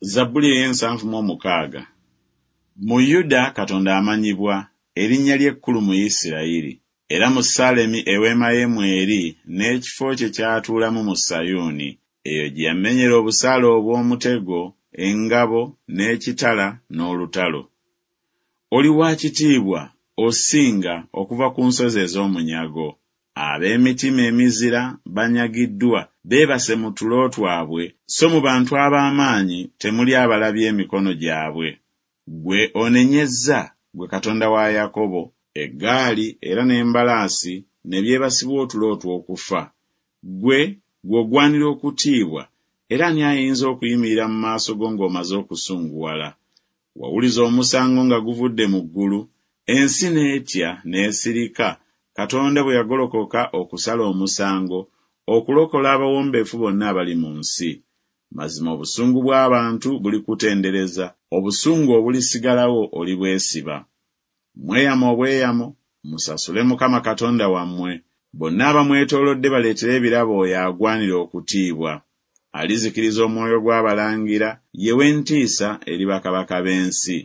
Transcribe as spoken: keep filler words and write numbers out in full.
Zabbuli ey'ensanvu mu omukaaga. Mu Yuda Katonda amanyibwa, erinnya lye ekkulu mu Isirayiri. Era mu Saalemi eweema ye mw'eri, n'ekifo kye ky'atuulamu mu Sayuuni. Eyo gye yamenyera obusaale obw'omutego, engabo, n'ekitala, n'olutalo. Oli wa kitiibwa, osinga, okuva ku nsozi ez'omunyago. Ab'emitima emizira banyagiddwa, beebase mu tulo twabwe, so mu bantu ab'amaanyi temuli abalabye emikono gyabwe. Ggwe onenyezza, ggwe Katonda wa Yakobo, eggaali era n'embalaasi ne byebasibwa otulo otw'okufa. Ggwe, ggwe ogwanira okutiibwa, era ani ayinza okuyimirira mu maaso go ng'omaze okusunguwala? Wawuliza omusango nga guvudde mu ggulu, ensi n'etya n'esirika, Katonda bwe yagolokoka okusala omusango, okulokola abawombeefu bonna abali mu nsi. Mazima obusungu bw'abantu bulikutendereza, obusungu obulisigalawo olibwesiba. Mweyame obweyamo, musasule Mukama Katonda wammwe. Bonna abamwetoolodde baleetere ebirabo oyo agwanira okutiibwa. Alizikiriza omwoyo gw'abalangira, ye w'entiisa eri bakabaka b'ensi.